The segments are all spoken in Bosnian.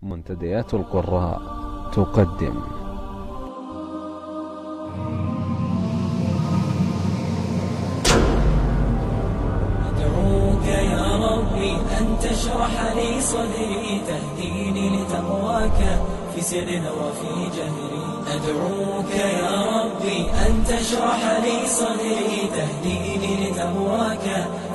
منتديات القراء تقدم أدعوك يا ربي أن تشرح لي صدري تهديني لتقواك في سر وفي جهري أدعوك يا ربي أن تشرح لي صدري تهديني لتقواك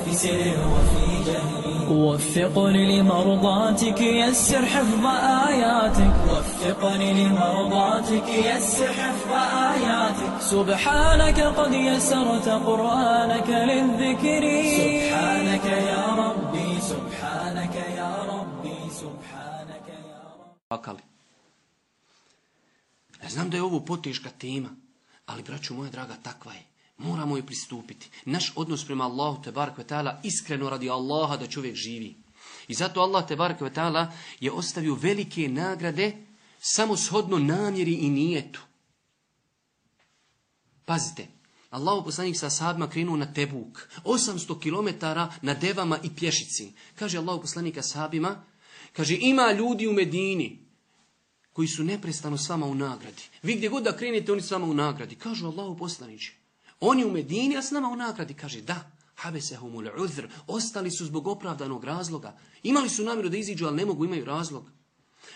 في سر وفي جهري وفقني لمرضاتك يسر حفظ آياتك وفقني لمرضاتك يسر حفظ آياتك سبحانك قد يسرت قرآنك للذكر سبحانك يا ربي سبحانك يا ربي سبحانك يا ربي. Ja znam da je ovo poteška tema, ali braćo moja draga, takva je. Moramo joj pristupiti. Naš odnos prema Allahu tebarek ve taala iskreno radi Allaha da čovjek živi. I zato Allah tebarek ve taala je ostavio velike nagrade samo shodno namjeri i nijetu. Pazite, Allahu poslanik sa ashabima krenuo na Tebuk, 800 km na devama i pješici. Kaže Allahu poslanik ashabima, kaže ima ljudi u Medini koji su neprestano s vama u nagradi. Vi gdje god da krenete, oni s vama u nagradi. Kažu Allahu poslaniče, oni u Medini, a s nama u nagradi. Kaže da, habesehumul uzr, ostali su zbog opravdanog razloga. Imali su namjeru da iziđu, ali ne mogu, imaju razlog.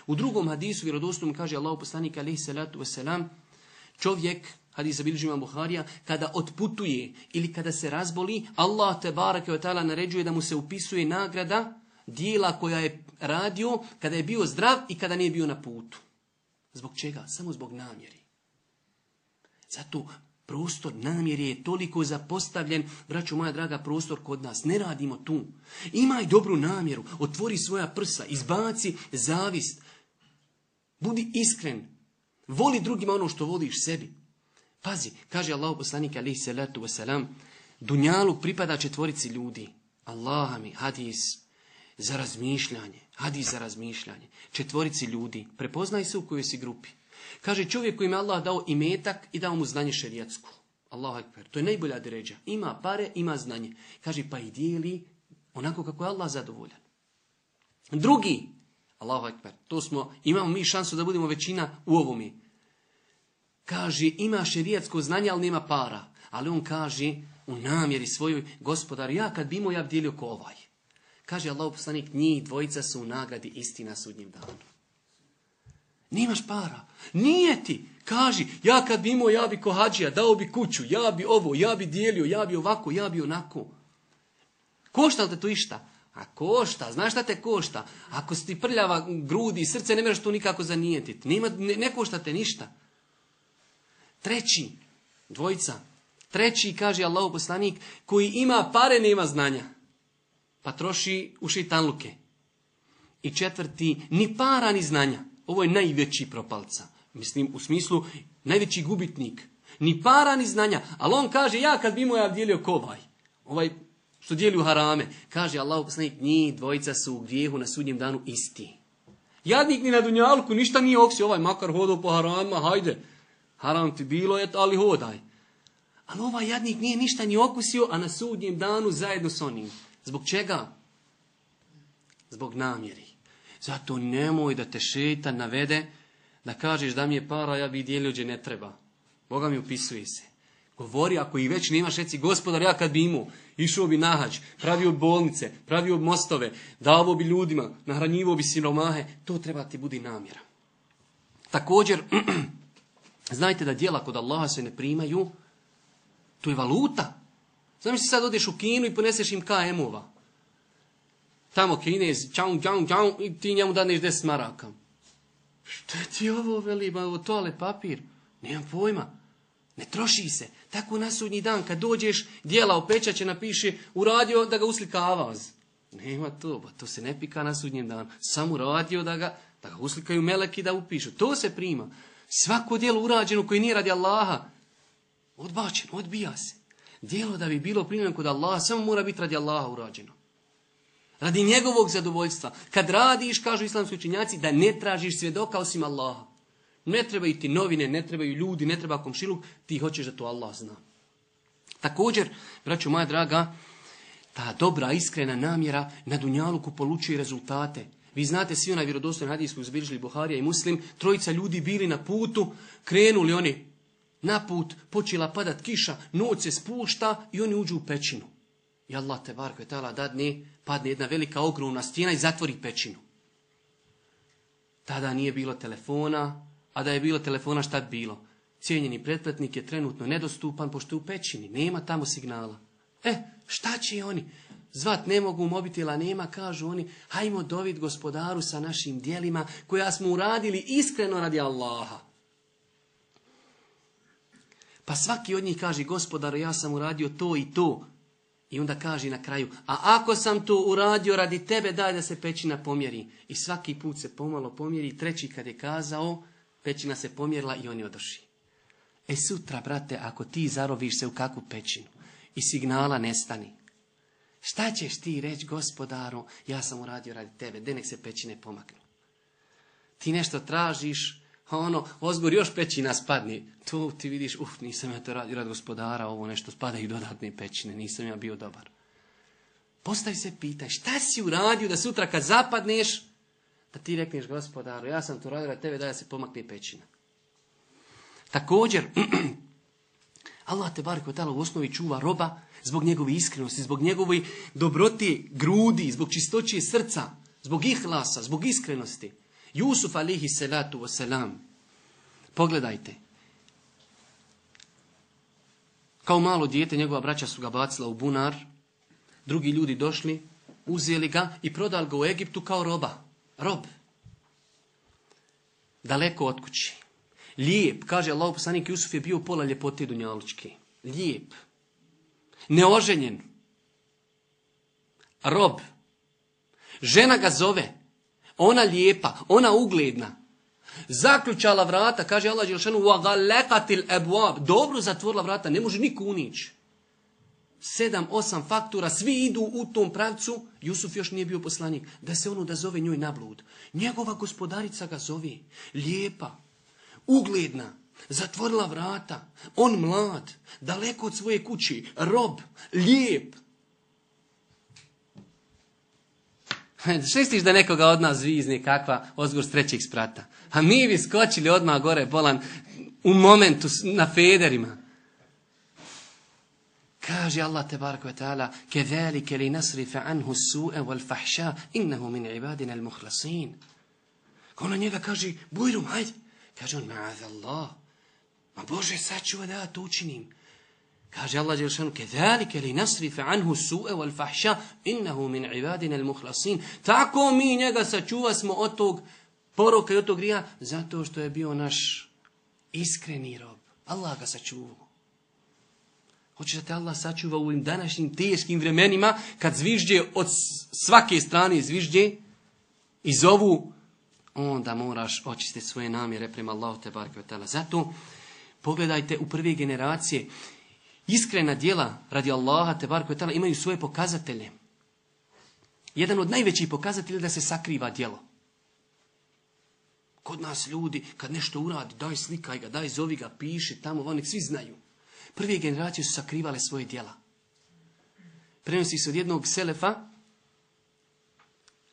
U drugom hadisu vjerodostojnom kaže Allahu poslanik alejhi salatu vesselam, čovjek, hadis bilježi imam Buharija, kada otputuje ili kada se razboli, Allah tebareke ve taala naređuje da mu se upisuje nagrada dijela koja je radio kada je bio zdrav i kada nije bio na putu. Zbog čega? Samo zbog namjeri. Zato prostor namjeri je toliko zapostavljen, braćo moja draga, prostor kod nas. Ne radimo tu. Imaj dobru namjeru, otvori svoja prsa, izbaci zavist. Budi iskren. Voli drugima ono što voliš sebi. Pazi, kaže Allahu poslanik alejhi salatu vesselam, dunjaluk pripada 4 ljudi. Allah mi, hadis za razmišljanje. Hadis za razmišljanje. 4 ljudi. Prepoznaj se u kojoj si grupi. Kaže čovjek kojim je Allah dao imetak i dao mu znanje šerijatsku. Allahu ekber. To je najbolja deređa. Ima pare, ima znanje. Kaže pa i dijeli onako kako je Allah zadovoljan. Drugi. Allahu ekber. Imamo mi šansu da budemo većina u ovome. Kaže ima šerijatsko znanje, ali nema para. Ali on kaže u namjeri svojoj, gospodar, ja kad bi imao, ja bi dijelio ko ovaj. Kaže Allahu poslanik, njih 2 su u nagradi isti na sudnjem danu. Nimaš para. Nije ti. Kaži, ja kad bi imao, ja bi ko hadžija, dao bi kuću, ja bi ovo, ja bi dijelio, ja bi ovako, ja bi onako. Košta li te to išta? A košta, znaš šta te košta? Ako si ti prljava grudi i srce, ne možeš to nikako zanijetiti. Ne košta te ništa. 3, 2. 3, kaže Allahu poslanik, koji ima pare, nema znanja. Pa troši u šejtanluke. I 4, ni para, ni znanja. Ovo je najveći propalca. Mislim, u smislu, najveći gubitnik. Ni para, ni znanja. Ali on kaže, ja kad bi imao, ja dijelio ko ovaj što dijeli u harame. Kaže Allahu poslanik, njih 2 su u grijehu na sudnjem danu isti. Jadnik ni na dunjalku, ništa nije oksio. Ovaj makar hodao po haramima, hajde. Haram ti bilo, ali hodaj. Ali ovaj jadnik nije ništa ni okusio, a na sudnjem danu zajedno s onim. Zbog čega? Zbog namjeri. Zato nemoj da te šejtan navede da kažeš da mi je para, ja bi dijelio gdje ne treba. Boga mi upisuje se. Govori, ako i već nemaš, reci, gospodar, ja kad bi imao, išao bi na hađ, pravio bolnice, pravio mostove, davo bi ljudima, nahranjivo bi siromahe, to treba ti budi namjera. Također, znajte da djela kod Allaha se ne primaju, to je valuta. Znam si sad odeš u Kinu i poneseš im KM-ova. Tamo Kinez, čau, i ti njemu daneš 10 maraka. Što ti ovo veli, ovo toalet papir? Nemam pojma. Ne troši se. Tako na sudnji dan kad dođeš, djela opečaće napiše, uradio da ga uslika avaz. Nema to, to se ne pika na sudnjem danu. Samo uradio da ga uslikaju meleki da upišu. To se prima. Svako djelo urađeno koje nije radi Allaha, odbačeno, odbija se. Djelo da bi bilo primljeno kod Allaha, samo mora biti radi Allaha urađeno. Radi njegovog zadovoljstva. Kad radiš, kažu islamski učenjaci, da ne tražiš svjedoka osim Allaha. Ne trebaju ti novine, ne trebaju ljudi, ne treba komšiluk, ti hoćeš da to Allah zna. Također, braćo moja draga, ta dobra, iskrena namjera na dunjaluku polučuje rezultate. Vi znate svi onaj vjerodostojni hadis koji zbilježili Buharija i Muslim, trojica ljudi bili na putu, krenuli oni na put, počela padat kiša, noć se spušta i oni uđu u pećinu. I Allah te barek ve taala dadne, padne jedna velika ogromna stijena i zatvori pećinu. Tada nije bilo telefona, a da je bilo telefona šta bi bilo? Cijenjeni pretplatnik je trenutno nedostupan pošto je u pećini, nema tamo signala. Šta će oni? Zvat ne mogu, mobitela nema, kažu oni, hajmo dovid gospodaru sa našim djelima koja smo uradili iskreno radi Allaha. Pa svaki od njih kaže, gospodaru, ja sam uradio to i to. I onda kaže na kraju, a ako sam to uradio radi tebe, daj da se pećina pomjeri. I svaki put se pomalo pomjeri, treći kad je kazao, pećina se pomjerila i oni odošli. Sutra, brate, ako ti zaroviš se u kakvu pećinu i signala nestani, šta ćeš ti reći, gospodaru, ja sam uradio radi tebe, de nek se pećine pomaknu. Ti nešto tražiš, ozgor još pećina spadne. Tu ti vidiš, nisam ja to radio radi gospodara, ovo nešto spadaju dodatne pećine, nisam ja bio dobar. Postavi se pitaj, šta si uradio da sutra kad zapadneš, da ti rekneš, gospodaru, ja sam to radio radi tebe, da se pomakne pećina. Također, Allah te barek ve taala u osnovi čuva roba zbog njegove iskrenosti, zbog njegove dobrote grudi, zbog čistoće srca, zbog ihlasa, zbog iskrenosti. Jusuf alihi salatu wasalam. Pogledajte. Kao malo dijete njegova braća su ga bacila u bunar, drugi ljudi došli, uzeli ga i prodali ga u Egiptu kao rob. Daleko od kući. Lijep, kaže Allahov poslanik, Jusuf je bio pola ljepote dunjalučke. Lijep. Neoženjen. Rob. Žena ga zove. Ona lijepa, ona ugledna. Zaključala vrata, kaže Allah dželešanu, وَغَلَّقَتِ الْأَبْوَابِ. Dobro zatvorila vrata, ne može niko unići. 7-8 faktura, svi idu u tom pravcu. Jusuf još nije bio poslanik. Da se da zove njoj na blud. Njegova gospodarica ga zove. Lijepa. Ugledna, zatvorila vrata, on mlad, daleko od svoje kući, rob, lijep. Šestiš da nekoga od nas zvizne kakva ozgor s trećeg sprata. A mi bi skočili odmah gore bolan u momentu na federima. Kaže Allah tebarek ve taala, "Kezalike linasrifa anhu as-su'a wal-fahsha innahu min ibadina al-mukhlasin." Ona njega kaže, bujrum, hajde. Kaže on, ma'azallah. Ma Bože, sačuva da ja to učinim. Kaže Allah dželešanu, "Kezalike linasrifa anhu as-su'a wal-fahsha innahu min ibadina al-mukhlasin." Tako mi njega sačuvasmo od tog poroka i od tog grija, zato što je bio naš iskreni rob. Allah ga sačuvao. Hoće da te Allah sačuva u ovim današnjim teškim vremenima, kad zvižđe od svake strane zvižđe i zovu, onda moraš očistiti svoje namjere prema Allahu te bareke ve taala. Zato pogledajte u prve generacije, iskrena djela radi Allaha te bareke ve taala imaju svoje pokazatelje. Jedan od najvećih pokazatelja je da se sakriva djelo. Kod nas ljudi, kad nešto uradi, daj slikaj ga, daj zovi ga, piši tamo, oni svi znaju. Prve generacije su sakrivale svoje djela. Prenosi se od jednog selefa,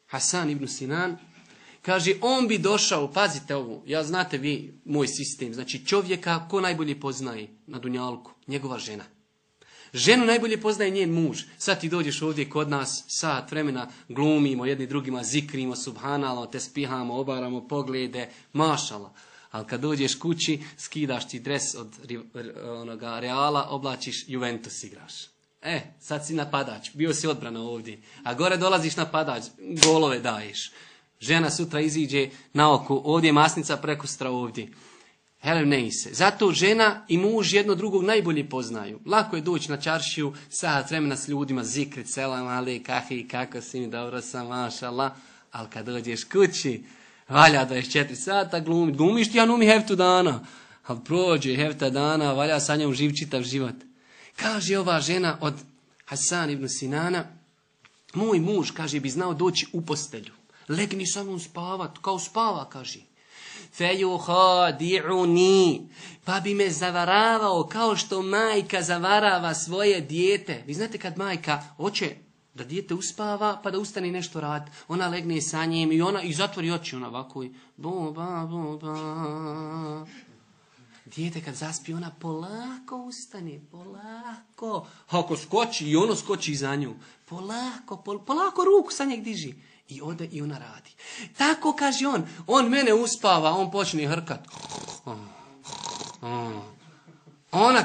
Hasan ibn Sinan, kaže, on bi došao, pazite ovo, ja znate vi moj sistem, znači čovjeka ko najbolje poznaje na dunjalku, njegova žena. Ženu najbolje poznaje njen muž. Sad ti dođeš ovdje kod nas, sat vremena glumimo, jedni drugima zikrimo, subhanallah, te spihamo, obaramo poglede, mašala. Ali kad dođeš kući, skidaš ti dres od onoga Reala, oblačiš, Juventus igraš. Sad si napadač, bio si odbrana ovdje. A gore dolaziš napadač, golove daješ. Žena sutra iziđe na oko, ovdje je masnica, prekustra ovdje. Se. Zato žena i muž jedno drugog najbolje poznaju. Lako je doći na čaršiju, sat vremena s ljudima, zikrit, selam, ale, kahi, kako si mi, dobro sam, mašallah. Ali kad dođeš kući, valja 24 sata glumit. Glumiš ti, ja numi heftu dana. Ali prođe hefta dana, valja sa njom živ čitav život. Kaže ova žena od Hasan ibn Sinana, moj muž, kaže, bi znao doći u postelju. Legni sa mnom spavat, kao spava, kaže. Fejuhadi'uni, pa bi me zavaravao kao što majka zavarava svoje dijete. Vi znate kad majka hoće Da dijete uspava pa da ustane nešto rad. Ona legne sa njim i zatvori oči ona ovako i boba, boba. Dijete kad zaspi ona polako ustane, polako. Ako skoči i ono skoči za nju. Polako ruku sa njeg diži. I ode i ona radi. Tako kaže on mene uspava, on počne hrkat.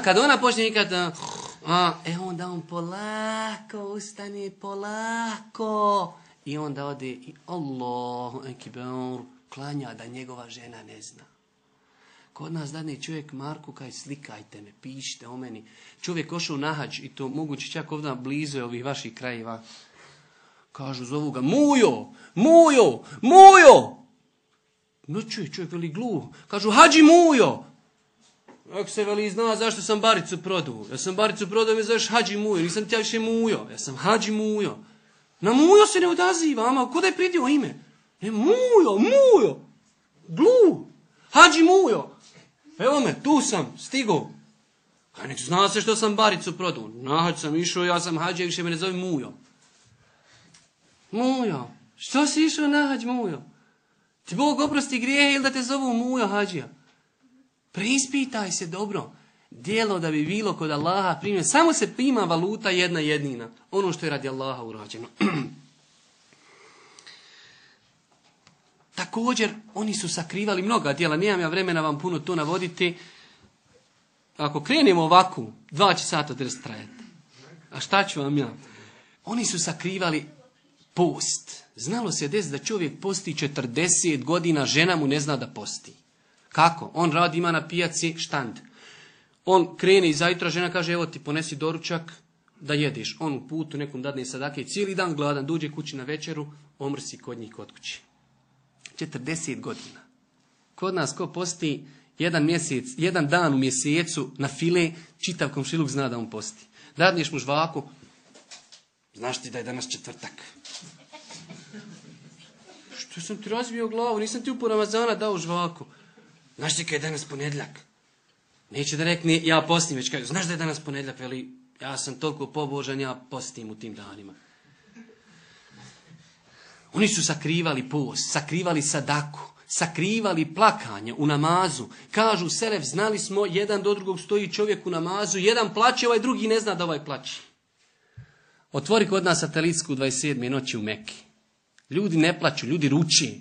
Kad ona počne ikat, onda on polako ustane, polako. I onda ode i Allahu ekber, klanja da njegova žena ne zna. Kod nas dadne čovjek Marku kaj slikajte me, pišite o meni. Čovjek ošao na hađ i to moguće čak ovdje blizu ovih vaših krajeva. Kažu, zovu ga, Mujo! No čovjek veli gluh. Kažu, Hadži Mujo! Ako se veli zna zašto sam baricu prodao. Ja sam baricu prodao i me zoveš Hadži Mujo. Nisam ti ja više Mujo. Ja sam Hadži Mujo. Na Mujo se ne odaziva, ama ko da je pridio ime? Mujo! Gluh! Hadži Mujo! Evo me, tu sam, stigao. A nek zna se što sam baricu prodao. Na hađ sam išao, ja sam Hadži, više me ne zove Mujo. Mujo, što si išao na hađ, Mujo? Ti Bog oprosti grijehe ili da te zovu Mujo Hadžija? Preispitaj se dobro. Djelo da bi bilo kod Allaha primljeno. Samo se prima valuta jedna jednina. Ono što je radi Allaha urađeno. Također, oni su sakrivali mnoga djela. Nemam ja vremena vam puno to navoditi. Ako krenemo ovako, 2 sata drst trajati. A šta ću vam ja? Oni su sakrivali post. Znalo se des da čovjek posti 40 godina, žena mu ne zna da posti. Kako? On radi, ima na pijaci štand. On krene iza jutra, žena kaže, evo ti ponesi doručak da jedeš. On u putu nekom dadne sadake, cijeli dan gladan, dođe kući na večeru, omrsi kod njih kod kući. 40 godina. Kod nas ko posti jedan dan u mjesecu na file, čitav komšiluk zna da on posti. Dadneš mu žvaku, znaš ti da je danas četvrtak. Što sam ti razbio glavu, nisam ti u Ramazana dao žvaku. Znaš ti kada je danas ponedjeljak? Neće da rekne, ja postim, već kaže, znaš da je danas ponedjeljak, veli, ja sam toliko pobožan, ja postim u tim danima. Oni su sakrivali post, sakrivali sadaku, sakrivali plakanje u namazu. Kažu selef, znali smo, jedan do drugog stoji čovjek u namazu, jedan plaće, ovaj drugi ne zna da ovaj plaće. Otvori kod nas satelitsku 27. noći u Meki. Ljudi ne plaću, ljudi ruči.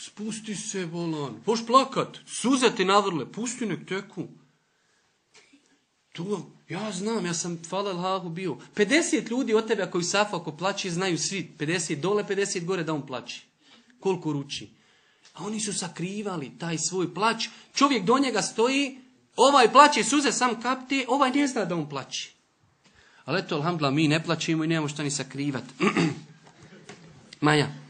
Spusti se, bolan. Hoš plakat, suze ti navrle, pusti nek teku. To, ja znam, ja sam hvala Allahu bio. 50 ljudi od tebe ako safu, ako plaći, znaju svi. 50 dole, 50 gore da on plaći. Koliko ruči. A oni su sakrivali taj svoj plać. Čovjek do njega stoji, ovaj plaće, suze sam kapte, ovaj ne zna da on plaći. Ali eto, alhamdulillah, mi ne plaćemo i nemamo šta ni sakrivati. Maja.